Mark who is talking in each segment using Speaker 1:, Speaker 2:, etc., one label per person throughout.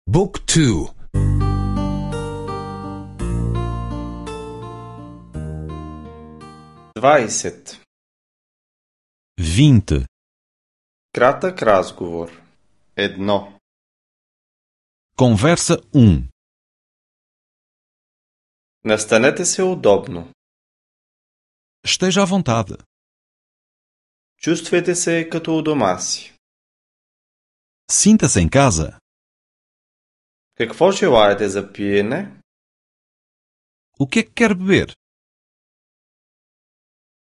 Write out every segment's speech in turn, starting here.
Speaker 1: Book 2.
Speaker 2: 20.
Speaker 3: 20.
Speaker 2: Кратък разговор. 1.
Speaker 3: Conversa 1.
Speaker 2: Настанете се удобно.
Speaker 3: Esteja à vontade.
Speaker 2: Чувствайте се като у дома си.
Speaker 3: Sinta-se em casa.
Speaker 2: Какво желаете за пиене?
Speaker 3: O que é que quer beber?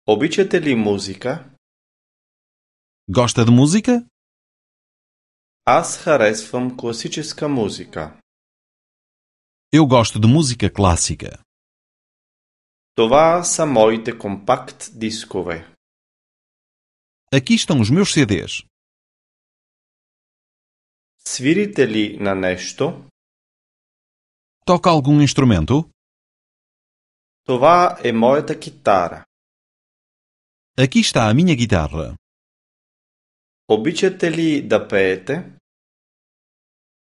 Speaker 2: Обичате ли музика?
Speaker 3: Gosta de música?
Speaker 2: Аз харесвам класическа музика.
Speaker 3: Eu gosto de música clássica.
Speaker 2: Това са моите компакт дискове.
Speaker 3: Aqui estão os meus CDs.
Speaker 2: Свирите ли на нещо?
Speaker 3: Toca algum instrumento?
Speaker 2: Това е моята китара.
Speaker 3: Aqui está a minha guitarra.
Speaker 2: Обичате ли да пеете?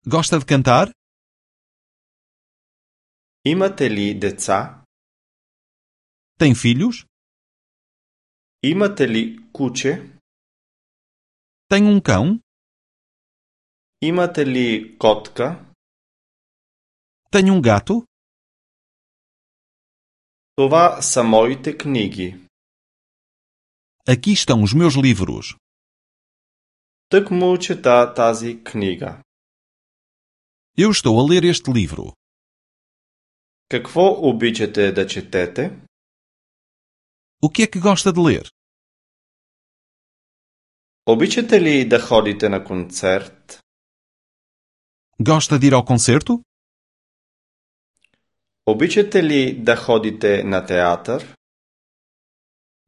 Speaker 3: Gosta de cantar?
Speaker 2: Имате ли деца?
Speaker 3: Tem filhos?
Speaker 2: Имате ли куче?
Speaker 3: Tem um cão?
Speaker 2: Имате ли котка?
Speaker 3: Tem um gato?
Speaker 2: Това са моите книги.
Speaker 3: Aqui estão os meus livros.
Speaker 2: Тъкмо чета тази книга.
Speaker 3: Eu estou a ler este livro.
Speaker 2: Какво обичате да четете?
Speaker 3: O que é que gosta de ler?
Speaker 2: Обичате ли да ходите на концерт?
Speaker 3: Gosta de ir ao concerto?
Speaker 2: Обичате ли да ходите на театър?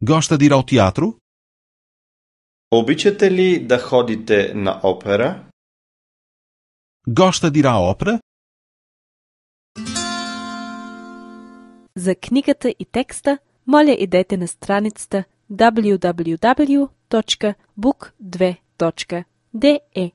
Speaker 3: Gosta de ir ao teatro?
Speaker 2: Обичате ли да ходите на опера?
Speaker 3: Gosta de ir à ópera?
Speaker 4: За книгата и текста, моля идете на страницата www.book2.de.